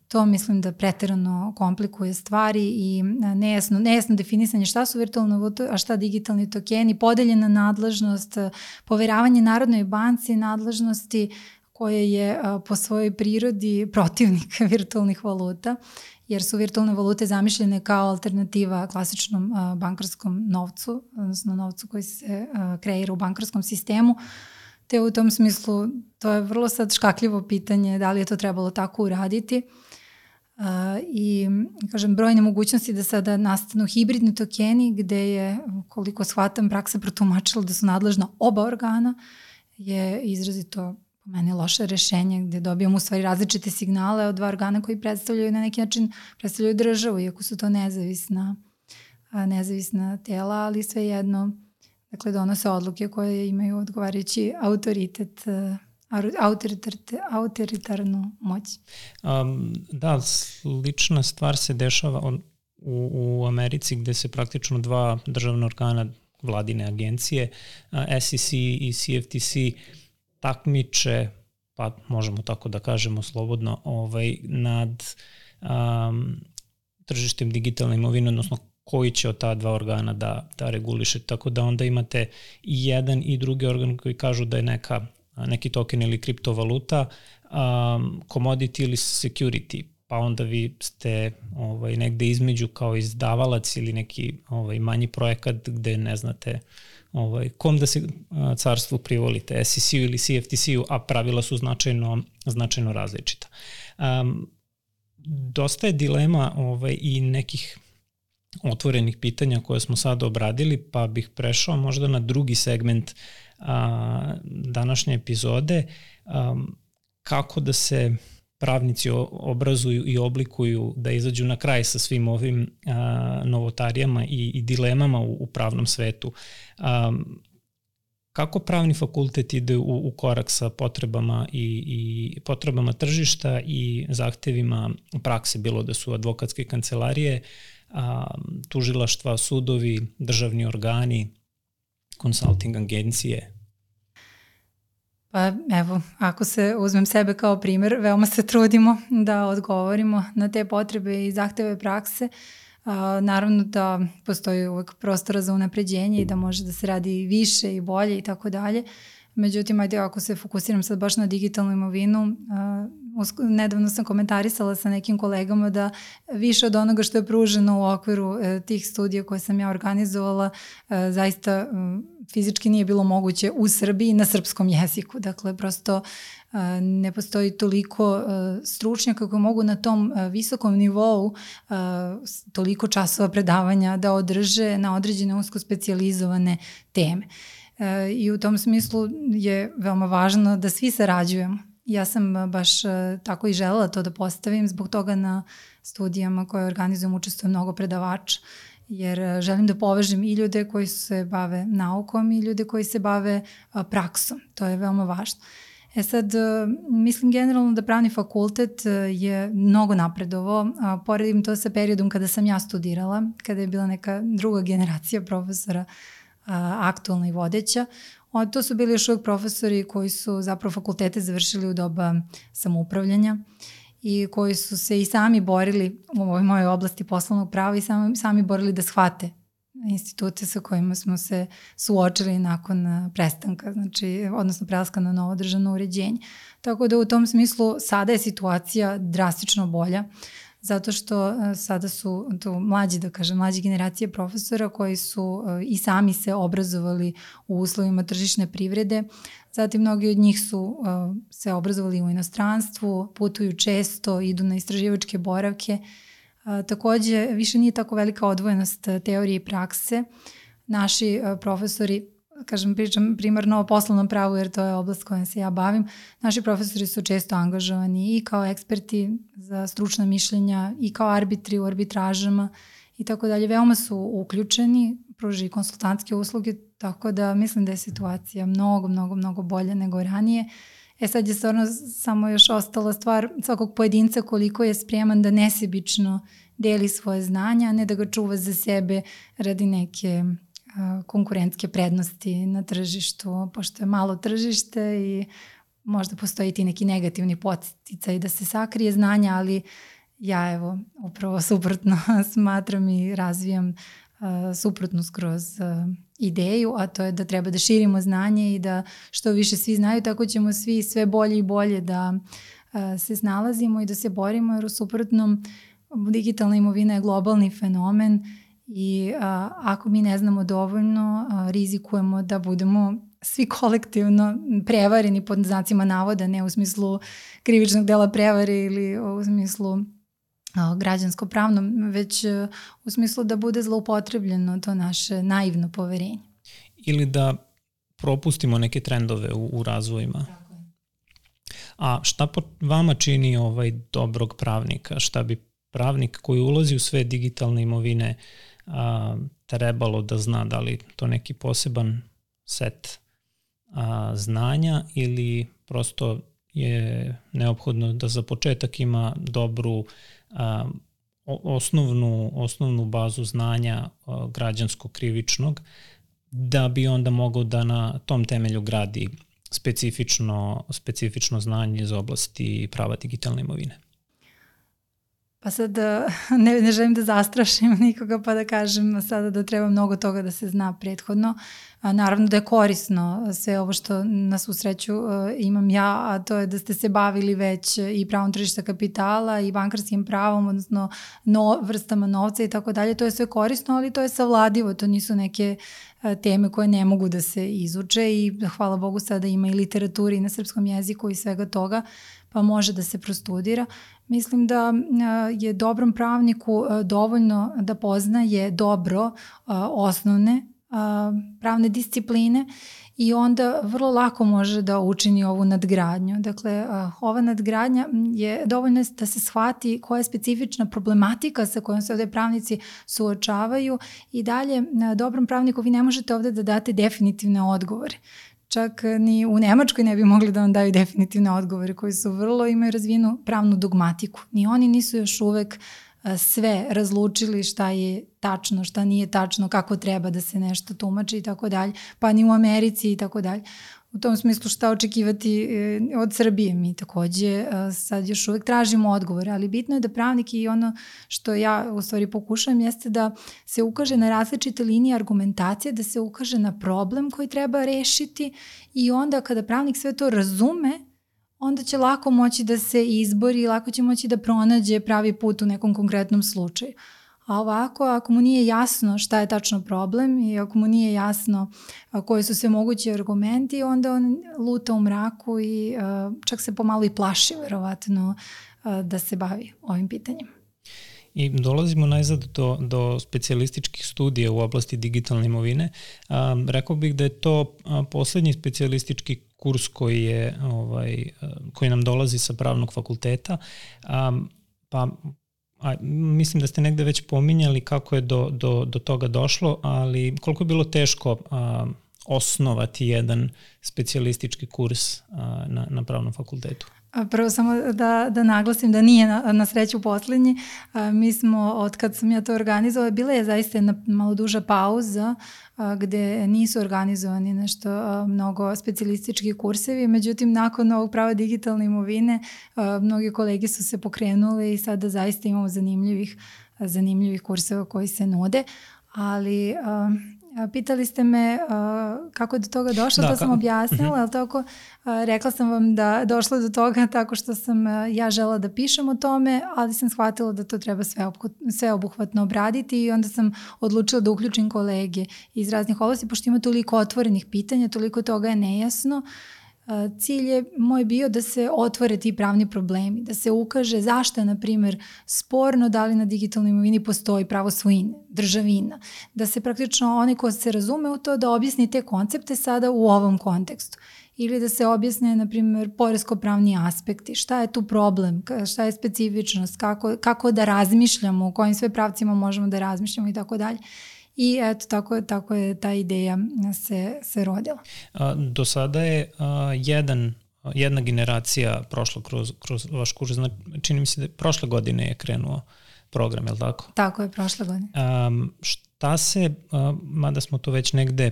To mislim da preterano komplikuje stvari i nejasno definisanje šta su virtualne valute, a šta digitalni tokeni, podeljena nadležnost, poveravanje Narodnoj banci nadležnosti koje je po svojoj prirodi protivnik virtualnih valuta, jer su virtualne valute zamišljene kao alternativa klasičnom bankarskom novcu, odnosno novcu koji se kreira u bankarskom sistemu. Te u tom smislu to je vrlo sad škakljivo pitanje da li je to trebalo tako uraditi. I kažem, brojne mogućnosti da sada nastanu hibridni tokeni gde je, koliko shvatam, praksa protumačila da su nadležna oba organa, je izrazito po meni loše rešenje gde dobijamo u stvari različite signale od dva organa koji predstavljaju na neki način predstavljaju državu, iako su to nezavisna tela, ali svejedno dakle donose odluke koje imaju odgovarajući autoritarnu moć. Da, slična stvar se dešava u Americi gde se praktično dva državna organa vladine agencije, SEC i CFTC, takmiče, pa možemo tako da kažemo slobodno, nad tržištem digitalne imovine, odnosno koji će od ta dva organa da reguliše. Tako da onda imate i jedan i drugi organ koji kažu da je neki token ili kriptovaluta, commodity ili security, pa onda vi ste negde između kao izdavalac ili neki manji projekat gde ne znate kom da se carstvu privolite, SEC-u ili CFTC-u, a pravila su značajno različita. Dosta je dilema i nekih otvorenih pitanja koje smo sad obradili, pa bih prešao možda na drugi segment današnje epizode, kako da se pravnici obrazuju i oblikuju da izađu na kraj sa svim ovim novotarijama i dilemama u pravnom svetu. Kako pravni fakultet ide u korak sa potrebama i potrebama tržišta i zahtevima prakse, bilo da su advokatske kancelarije, tužilaštva, sudovi, državni organi, consulting agencije? Pa evo, ako se uzmem sebe kao primer, veoma se trudimo da odgovorimo na te potrebe i zahteve prakse. Naravno da postoji uvek prostora za unapređenje i da može da se radi više i bolje i tako dalje. Međutim, ajde, ako se fokusiram sad baš na digitalnu imovinu, nedavno sam komentarisala sa nekim kolegama da više od onoga što je pruženo u okviru tih studija koje sam ja organizovala, zaista fizički nije bilo moguće u Srbiji na srpskom jeziku. Dakle, prosto ne postoji toliko stručnjaka koji mogu na tom visokom nivou toliko časova predavanja da održe na određene usko specijalizovane teme. I u tom smislu je veoma važno da svi sarađujemo. Ja sam baš tako i želela to da postavim, zbog toga na studijama koje organizujem učestvujem mnogo predavača, jer želim da povežem i ljude koji se bave naukom i ljude koji se bave praksom. To je veoma važno. Sad, mislim generalno da pravni fakultet je mnogo napredovao. Poredim to sa periodom kada sam ja studirala, kada je bila neka druga generacija profesora aktualna i vodeća. To su bili još uvijek profesori koji su zapravo fakultete završili u doba samoupravljanja i koji su se i sami borili u ovoj mojoj oblasti poslovnog prava i sami borili da shvate institute sa kojima smo se suočili nakon prestanka, odnosno prelaska na novo državno uređenje. Tako da u tom smislu sada je situacija drastično bolja, zato što sada su tu mlađe generacije profesora koji su i sami se obrazovali u uslovima tržišne privrede. Zatim mnogi od njih su se obrazovali u inostranstvu, putuju često, idu na istraživačke boravke. Takođe, više nije tako velika odvojenost teorije i prakse. Naši profesori, pričam primarno o poslovnom pravu jer to je oblast kojom se ja bavim, naši profesori su često angažovani i kao eksperti za stručna mišljenja i kao arbitri u arbitražama i tako dalje. Veoma su uključeni, pružaju konsultantske usluge, tako da mislim da je situacija mnogo bolja nego ranije. Sad je stvarno samo još ostala stvar svakog pojedinca koliko je spreman da nesebično deli svoje znanja, a ne da ga čuva za sebe radi neke konkurentske prednosti na tržištu, pošto je malo tržište i možda postoji ti neki negativni podsticaj da se sakrije znanja, ali ja upravo suprotno smatram i razvijam suprotno skroz ideju, a to je da treba da širimo znanje i da što više svi znaju, tako ćemo svi sve bolje i bolje da se snalazimo i da se borimo, jer u suprotnom digitalna imovina je globalni fenomen i ako mi ne znamo dovoljno, rizikujemo da budemo svi kolektivno prevareni pod znacima navoda, ne u smislu krivičnog dela prevare ili u smislu građansko-pravnom, već u smislu da bude zloupotrebljeno to naše naivno poverenje. Ili da propustimo neke trendove u razvojima. Tako je. A šta po vama čini dobrog pravnika? Šta bi pravnik koji ulazi u sve digitalne imovine trebalo da zna? Da li to neki poseban set znanja ili prosto je neophodno da za početak ima dobru osnovnu bazu znanja građansko-krivičnog, da bi onda mogao da na tom temelju gradi specifično znanje iz oblasti prava digitalne imovine? Pa sad ne želim da zastrašim nikoga pa da kažem sada da treba mnogo toga da se zna prethodno. Naravno da je korisno sve ovo što na svu sreću imam ja, a to je da ste se bavili već i pravom tržišta kapitala i bankarskim pravom, odnosno vrstama novca i tako dalje. To je sve korisno, ali to je savladivo, to nisu neke teme koje ne mogu da se izuče i hvala Bogu sada ima i literature i na srpskom jeziku i svega toga, pa može da se prostudira. Mislim da je dobrom pravniku dovoljno da poznaje dobro osnovne pravne discipline i onda vrlo lako može da učini ovu nadgradnju. Dakle, ova nadgradnja je dovoljno da se shvati koja je specifična problematika sa kojom se ovde pravnici suočavaju i dalje dobrom pravniku vi ne možete ovde da date definitivne odgovore. Čak ni u Nemačkoj ne bi mogli da vam daju definitivne odgovore koji su imaju razvijenu pravnu dogmatiku. Ni oni nisu još uvek sve razlučili šta je tačno, šta nije tačno, kako treba da se nešto tumači i tako dalje, pa ni u Americi i tako dalje. U tom smislu šta očekivati od Srbije. Mi takođe sad još uvek tražimo odgovore, ali bitno je da pravnik i ono što ja u stvari pokušavam jeste da se ukaže na različite linije argumentacije, da se ukaže na problem koji treba rešiti i onda kada pravnik sve to razume, onda će lako moći da se izbori i lako će moći da pronađe pravi put u nekom konkretnom slučaju. A ovako, ako mu nije jasno šta je tačno problem i ako mu nije jasno koji su sve mogući argumenti, onda on luta u mraku i čak se pomalo i plaši verovatno da se bavi ovim pitanjem. I dolazimo najzad do specijalističkih studija u oblasti digitalne imovine. Rekao bih da je to poslednji specijalistički kurs koji nam dolazi sa pravnog fakulteta, pa mislim da ste negde već pominjali kako je do toga došlo, ali koliko je bilo teško osnovati jedan specijalistički kurs na pravnom fakultetu? Prvo samo da naglasim da nije na sreću poslednji. Mi smo, od kad sam ja to organizovala, bila je zaista jedna malo duža pauza gde nisu organizovani nešto mnogo specijalistički kursevi, međutim nakon ovog prava digitalne imovine mnogi kolege su se pokrenuli i sada zaista imamo zanimljivih kurseva koji se nude, ali pitali ste me kako je do toga došlo, to sam objasnila, ali tako rekla sam vam da došlo do toga tako što sam ja žela da pišem o tome, ali sam shvatila da to treba sveobuhvatno obraditi i onda sam odlučila da uključim kolege iz raznih oblasti, pošto ima toliko otvorenih pitanja, toliko toga je nejasno. Cilj je moj bio da se otvore ti pravni problemi, da se ukaže zašto je, na primjer, sporno da li na digitalnoj imovini postoji pravo svojine, državina, da se praktično onaj ko se razume u to da objasni te koncepte sada u ovom kontekstu. Ili da se objasne, na primjer, poresko-pravni aspekti, šta je tu problem, šta je specifičnost, kako da razmišljamo, u kojim sve pravcima možemo da razmišljamo i tako dalje. I eto, tako je ta ideja se rodila. Do sada je jedna generacija prošla kroz vaš kurs. Čini mi se da prošle godine je krenuo program, je li tako? Tako je, prošle godine. Šta se, mada smo to već negde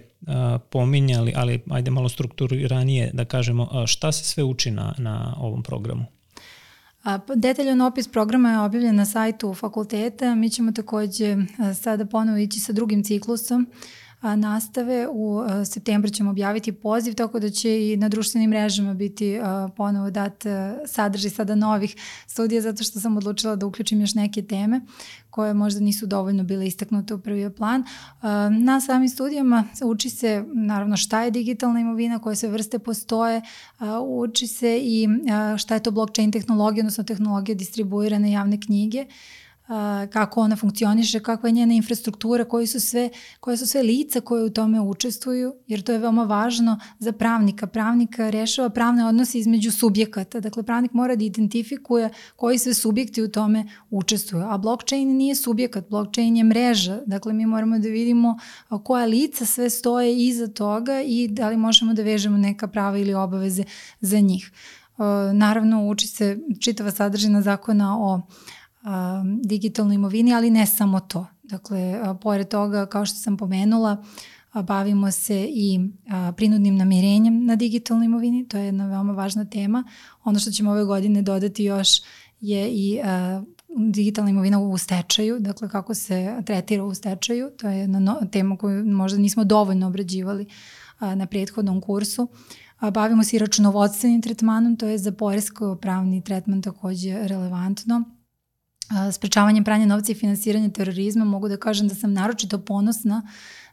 pominjali, ali ajde malo strukturiranije da kažemo, šta se sve uči na ovom programu? Detaljan opis programa je objavljen na sajtu fakulteta. Mi ćemo takođe sada ponovo ići sa drugim ciklusom nastave. U septembru ćemo objaviti poziv, tako da će i na društvenim mrežama biti ponovo dat sadržaj sada novih studija, zato što sam odlučila da uključim još neke teme koje možda nisu dovoljno bile istaknute u prvi plan. Na samim studijama uči se naravno šta je digitalna imovina, koje sve vrste postoje, uči se i šta je to blockchain tehnologija, odnosno tehnologija distribuirane javne knjige, kako ona funkcioniše, kakva je njena infrastruktura, koje su sve lica koje u tome učestvuju, jer to je veoma važno za pravnika. Pravnik rešava pravne odnose između subjekata, dakle pravnik mora da identifikuje koji sve subjekti u tome učestvuju, a blockchain nije subjekat, blockchain je mreža, dakle mi moramo da vidimo koja lica sve stoje iza toga i da li možemo da vežemo neka prava ili obaveze za njih. Naravno, uči se čitava sadržina zakona o digitalnoj imovini, ali ne samo to. Dakle, pored toga, kao što sam pomenula, bavimo se i prinudnim namirenjem na digitalnoj imovini, to je jedna veoma važna tema. Ono što ćemo ove godine dodati još je i digitalna imovina u stečaju, dakle kako se tretira u stečaju, to je jedna tema koju možda nismo dovoljno obrađivali na prethodnom kursu. Bavimo se i računovodstvenim tretmanom, to je za poresko-pravni tretman takođe relevantno. Sprečavanjem pranja novca i finansiranje terorizma. Mogu da kažem da sam naročito ponosna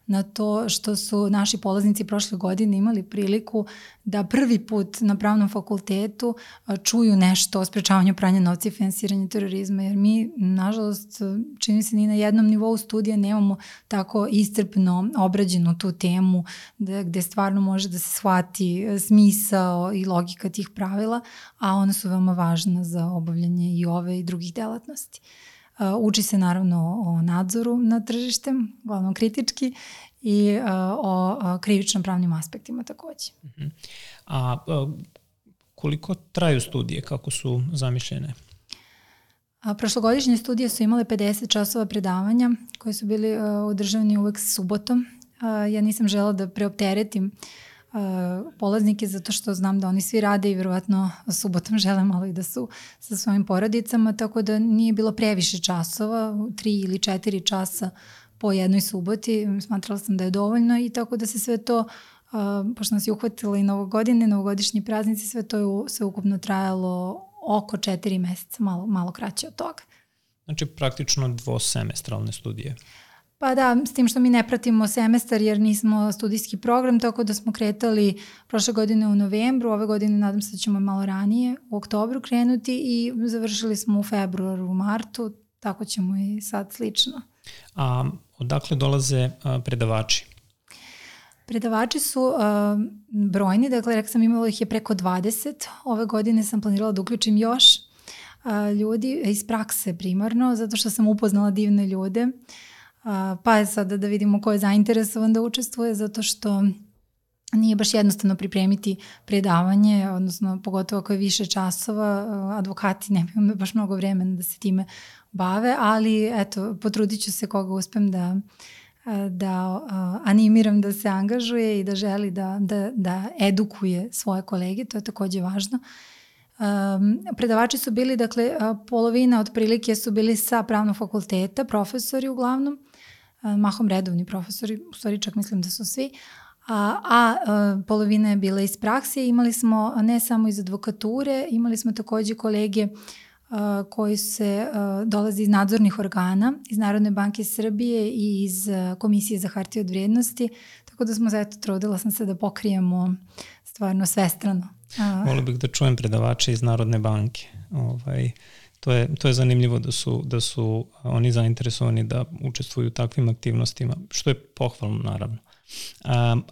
na to što su naši polaznici prošle godine imali priliku da prvi put na pravnom fakultetu čuju nešto o sprečavanju pranja novca i finansiranje terorizma, jer mi, nažalost, čini se ni na jednom nivou studija nemamo tako iscrpno obrađenu tu temu gde stvarno može da se shvati smisao i logika tih pravila, a ona su veoma važna za obavljanje i ove i drugih delatnosti. Uči se naravno o nadzoru nad tržištem, uglavnom kritički, i o krivično pravnim aspektima takođe. A koliko traju studije, kako su zamišljene? Prošlogodišnje studije su imale 50 časova predavanja koje su bili održavani uvek subotom. Ja nisam želela da preopteretim polaznike zato što znam da oni svi rade i verovatno subotom žele malo i da su sa svojim porodicama, tako da nije bilo previše časova, 3 ili 4 časa po jednoj suboti, smatrala sam da je dovoljno i tako da se sve to, pošto nas je uhvatilo i novogodišnji praznici, sve to je sve ukupno trajalo oko 4 meseca, malo kraće od toga. Znači praktično dvosemestralne studije. Pa da, s tim što mi ne pratimo semestar jer nismo studijski program, tako da smo kretali prošle godine u novembru, ove godine nadam se da ćemo malo ranije, u oktobru krenuti i završili smo u februaru, u martu, tako ćemo i sad slično. A odakle dolaze predavači? Predavači su brojni, dakle rekla sam imalo ih je preko 20, ove godine sam planirala da uključim još. ljudi iz prakse primarno, zato što sam upoznala divne ljude. Pa je sada da vidimo ko je zainteresovan da učestvuje, zato što nije baš jednostavno pripremiti predavanje, odnosno pogotovo ako je više časova, advokati nemaju baš mnogo vremena da se time bave, ali eto, potrudit ću se koga uspem da animiram da se angažuje i da želi da edukuje svoje kolege, to je takođe važno. Predavači su bili, dakle, polovina otprilike su bili sa pravnog fakulteta, profesori uglavnom, mahom redovni profesori, u stvari čak mislim da su svi, a polovina je bila iz prakse. Imali smo ne samo iz advokature, imali smo takođe kolege koji dolaze iz nadzornih organa, iz Narodne banke Srbije i iz Komisije za hartije od vrijednosti, tako da smo trudila sam se da pokrijemo stvarno svestrano. Volio bih da čujem predavače iz Narodne banke. To je zanimljivo da su oni zainteresovani da učestvuju u takvim aktivnostima, što je pohvalno naravno.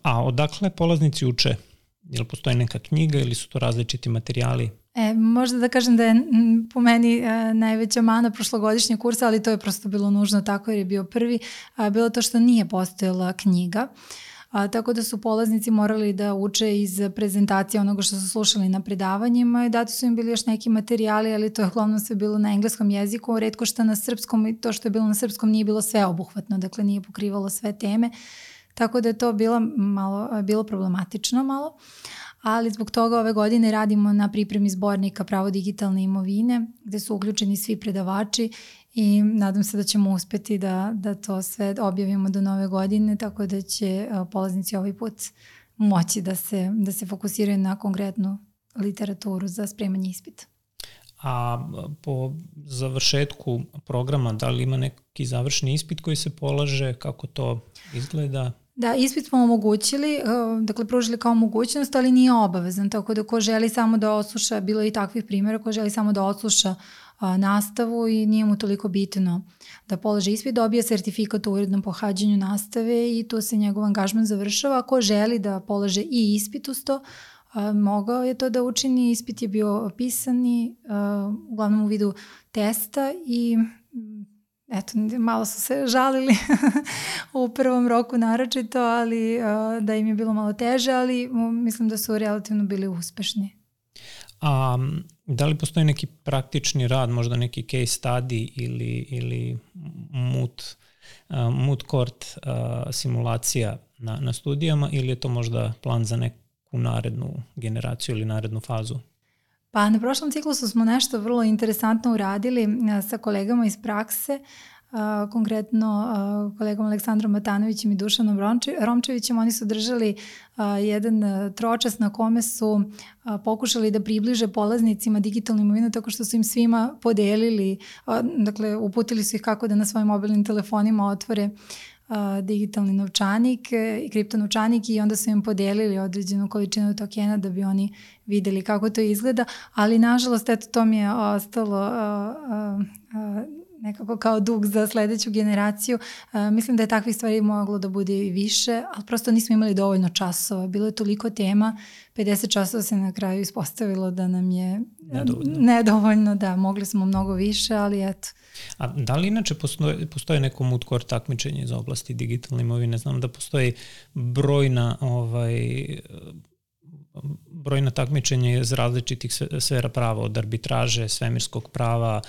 A odakle polaznici uče? Jel postoji neka knjiga ili su to različiti materijali? Možda da kažem da je po meni najveća mana prošlogodišnjeg kursa, ali to je prosto bilo nužno tako jer je bio prvi, bilo to što nije postojala knjiga. Tako da su polaznici morali da uče iz prezentacije onoga što su slušali na predavanjima i dati su im bili još neki materijali, ali to je uglavnom sve bilo na engleskom jeziku, retko što na srpskom, i to što je bilo na srpskom nije bilo sveobuhvatno, dakle nije pokrivalo sve teme, tako da je to bilo problematično malo. Ali zbog toga ove godine radimo na pripremi zbornika Pravo digitalne imovine, gde su uključeni svi predavači i nadam se da ćemo uspeti da to sve objavimo do nove godine, tako da će polaznici ovaj put moći da se fokusiraju na konkretnu literaturu za spremanje ispita. A po završetku programa, da li ima neki završni ispit koji se polaže, kako to izgleda? Da, ispit smo omogućili, dakle pružili kao mogućnost, ali nije obavezan, tako da ko želi samo da odsluša, bilo je i takvih primjera, ko želi samo da odsluša nastavu i nije mu toliko bitno da položi ispit, dobije sertifikat u urednom pohađanju nastave i tu se njegov angažman završava. Ako želi da polože i ispit uz to, mogao je to da učini, ispit je bio pisani, uglavnom u vidu testa i eto, malo su se žalili u prvom roku naročito, ali da im je bilo malo teže, ali mislim da su relativno bili uspešni. A da li postoji neki praktični rad, možda neki case study ili moot court simulacija na studijama ili je to možda plan za neku narednu generaciju ili narednu fazu? Pa na prošlom ciklusu smo nešto vrlo interesantno uradili sa kolegama iz prakse, konkretno kolegom Aleksandrom Matanovićem i Dušanom Romčevićem. Oni su držali jedan tročas na kome su pokušali da približe polaznicima digitalnu imovinu tako što su im svima podelili, dakle uputili su ih kako da na svojim mobilnim telefonima otvore digitalni novčanik i kriptonovčanik i onda su im podelili određenu količinu tokena da bi oni videli kako to izgleda, ali nažalost eto to mi je ostalo nekako kao dug za sledeću generaciju. Mislim da je takvih stvari moglo da bude i više, ali prosto nismo imali dovoljno časova. Bilo je toliko tema, 50 časova se na kraju ispostavilo da nam je nedovoljno, da, mogli smo mnogo više, ali eto. A da li inače postoje neko moot court takmičenje iz oblasti digitalne imovine? Znam da postoji brojna takmičenja iz različitih sfera prava, od arbitraže, svemirskog prava,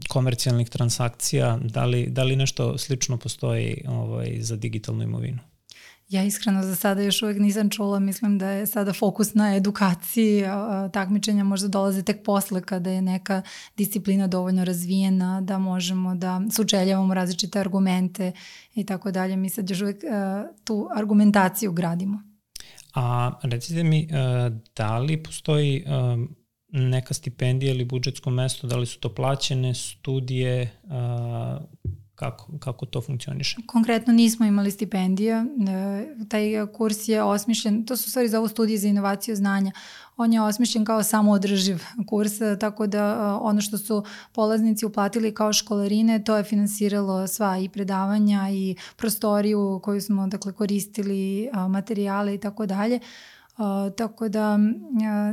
komercijalnih transakcija. Da li nešto slično postoji za digitalnu imovinu? Ja iskreno za sada još uvek nisam čula, mislim da je sada fokus na edukaciji, takmičenja možda dolaze tek posle kada je neka disciplina dovoljno razvijena, da možemo da sučeljavamo različite argumente i tako dalje. Mi sad još uvek tu argumentaciju gradimo. A recite mi, da li postoji neka stipendija ili budžetsko mesto, da li su to plaćene studije, kako to funkcioniše? Konkretno nismo imali stipendija, taj kurs je osmišljen, to su stvari za ovu studiju za inovaciju znanja, on je osmišljen kao samoodrživ kurs, tako da ono što su polaznici uplatili kao školarine, to je finansiralo sva i predavanja i prostoriju koju smo dakle koristili, materijale i tako dalje. Tako da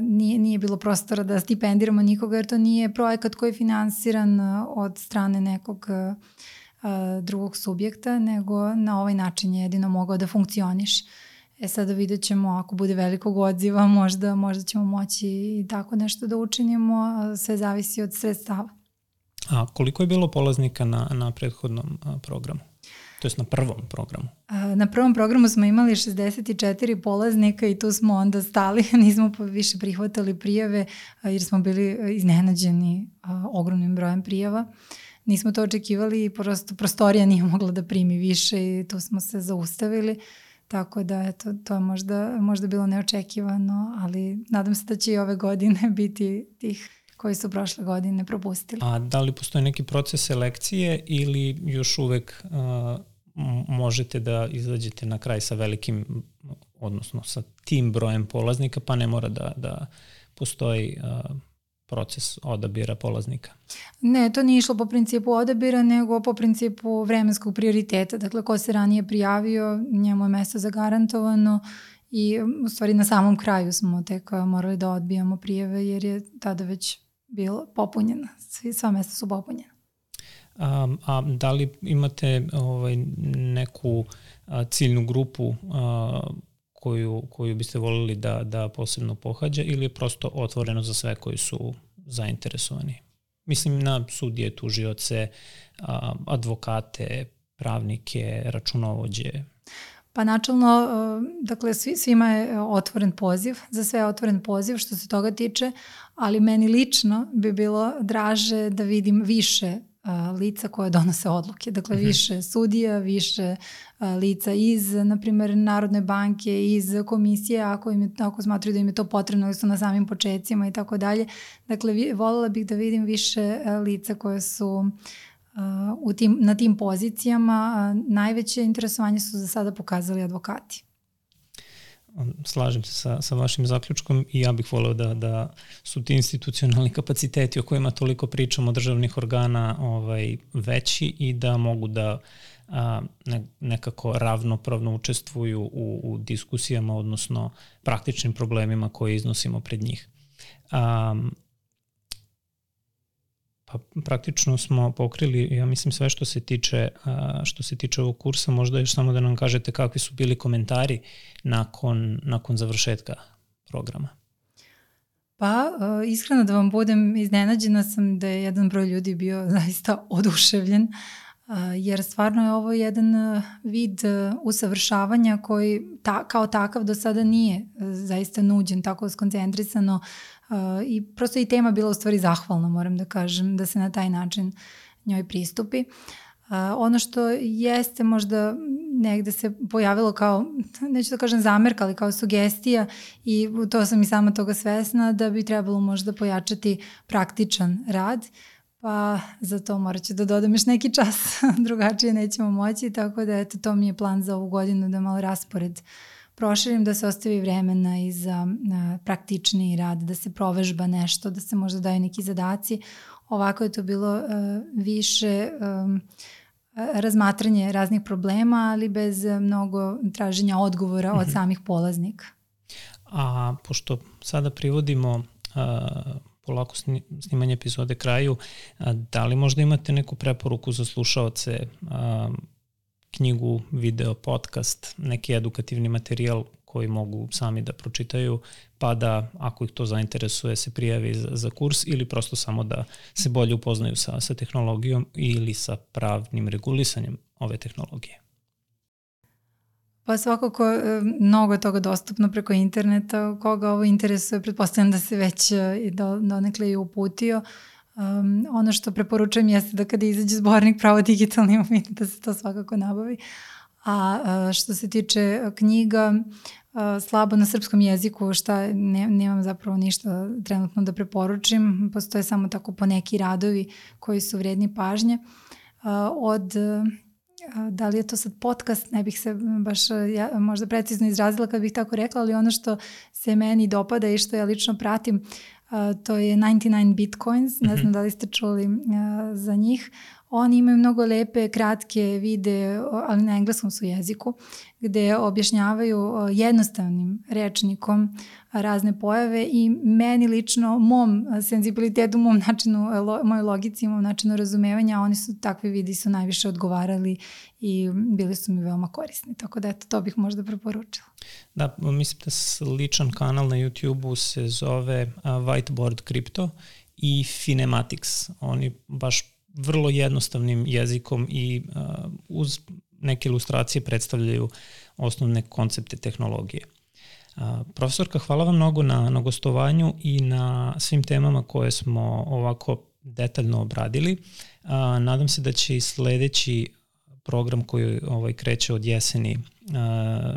nije bilo prostora da stipendiramo nikoga, jer to nije projekat koji je finansiran od strane nekog drugog subjekta, nego na ovaj način je jedino mogao da funkcioniš. Sada vidjet ćemo, ako bude velikog odziva, možda ćemo moći i tako nešto da učinimo, sve zavisi od sredstava. A koliko je bilo polaznika na prethodnom programu? To jest na prvom programu? Na prvom programu smo imali 64 polaznika i tu smo onda stali, nismo više prihvatali prijave jer smo bili iznenađeni ogromnim brojem prijava. Nismo to očekivali i prosto prostorija nije mogla da primi više i tu smo se zaustavili. Tako da eto, to je možda bilo neočekivano, ali nadam se da će i ove godine biti tih koji su prošle godine propustili. A da li postoji neki proces selekcije ili još uvek možete da izađete na kraj sa velikim, odnosno sa tim brojem polaznika, pa ne mora da postoji proces odabira polaznika? Ne, to nije išlo po principu odabira, nego po principu vremenskog prioriteta. Dakle, ko se ranije prijavio, njemu je mesto zagarantovano i u stvari na samom kraju smo tek morali da odbijamo prijave jer je tada već bilo popunjeno. Sva mesta su popunjena. A da li imate neku ciljnu grupu koju biste voljeli da posebno pohađa ili je prosto otvoreno za sve koji su zainteresovani? Mislim na sudije, tužioce, advokate, pravnike, računovođe. Pa načelno, dakle, svima je otvoren poziv, za sve je otvoren poziv što se toga tiče, ali meni lično bi bilo draže da vidim više lica koje donose odluke. Dakle, više sudija, više lica iz, na primjer, Narodne banke, iz komisije, ako smatruju da im je to potrebno, ili su na samim početcima i tako dalje. Dakle, voljela bih da vidim više lica koje su na tim pozicijama. Najveće interesovanje su za sada pokazali advokati. Slažem se sa vašim zaključkom i ja bih voleo da su ti institucionalni kapaciteti o kojima toliko pričamo državnih organa veći i da mogu da nekako ravnopravno učestvuju u diskusijama, odnosno praktičnim problemima koje iznosimo pred njih. Pa praktično smo pokrili, ja mislim, sve što se tiče ovog kursa. Možda još samo da nam kažete kakvi su bili komentari nakon završetka programa. Pa, iskreno da vam budem, iznenađena sam da je jedan broj ljudi bio zaista oduševljen, jer stvarno je ovo jedan vid usavršavanja koji kao takav do sada nije zaista nuđen, tako skoncentrisano, i prosto i tema bila u stvari zahvalna, moram da kažem, da se na taj način njoj pristupi. Ono što jeste možda negde se pojavilo kao, neću da kažem zamerka, ali kao sugestija, i to sam i sama toga svesna, da bi trebalo možda pojačati praktičan rad, pa za to morat ću da dodam još neki čas, drugačije nećemo moći, tako da eto, to mi je plan za ovu godinu, da malo raspored proširim, da se ostavi vremena i za praktični rad, da se provežba nešto, da se možda daju neki zadaci. Ovako je to bilo više razmatranje raznih problema, ali bez mnogo traženja odgovora od samih polaznika. A pošto sada privodimo polako snimanje epizode kraju, da li možda imate neku preporuku za slušaoce, knjigu, video, podcast, neki edukativni materijal koji mogu sami da pročitaju, pa da, ako ih to zainteresuje, se prijavi za kurs, ili prosto samo da se bolje upoznaju sa tehnologijom ili sa pravnim regulisanjem ove tehnologije? Pa svakako mnogo je toga dostupno preko interneta. Koga ovo interesuje, pretpostavljam da se već donekle i uputio. Ono što preporučujem jeste da kada izađe zbornik Pravo digitalni umet, da se to svakako nabavi. A što se tiče knjiga, slabo na srpskom jeziku, nemam zapravo ništa trenutno da preporučim. Postoje samo tako poneki radovi koji su vredni pažnje. Da li je to sad podcast, ne bih se baš možda precizno izrazila kad bih tako rekla, ali ono što se meni dopada i što ja lično pratim, to je 99 Bitcoins, ne znam da li ste čuli za njih. Oni imaju mnogo lepe, kratke videe, ali na engleskom su jeziku, gde objašnjavaju jednostavnim rečnikom razne pojave i meni lično, mom senzibilitetu, mom načinu, mojoj logici, mom načinu razumevanja, oni su, takvi videi su najviše odgovarali i bili su mi veoma korisni. Tako da eto, to bih možda preporučila. Da, mislim da sličan kanal na YouTube-u se zove Whiteboard Crypto i Finematics. Oni baš vrlo jednostavnim jezikom i uz neke ilustracije predstavljaju osnovne koncepte tehnologije. Profesorka, hvala vam mnogo na gostovanju i na svim temama koje smo ovako detaljno obradili. Nadam se da će i sledeći program koji kreće od jeseni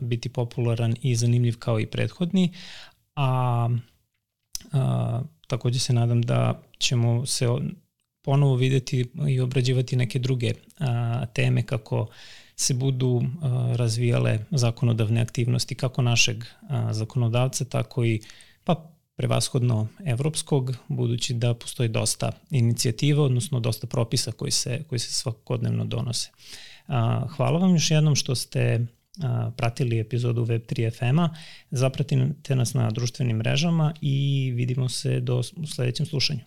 biti popularan i zanimljiv kao i prethodni, a takođe se nadam da ćemo se ponovo videti i obrađivati neke druge teme kako se budu razvijale zakonodavne aktivnosti kako našeg zakonodavca, tako i prevashodno evropskog, budući da postoji dosta inicijativa, odnosno dosta propisa koji se svakodnevno donose. Hvala vam još jednom što ste pratili epizodu Web3 FM-a, zapratite nas na društvenim mrežama i vidimo se u sledećem slušanju.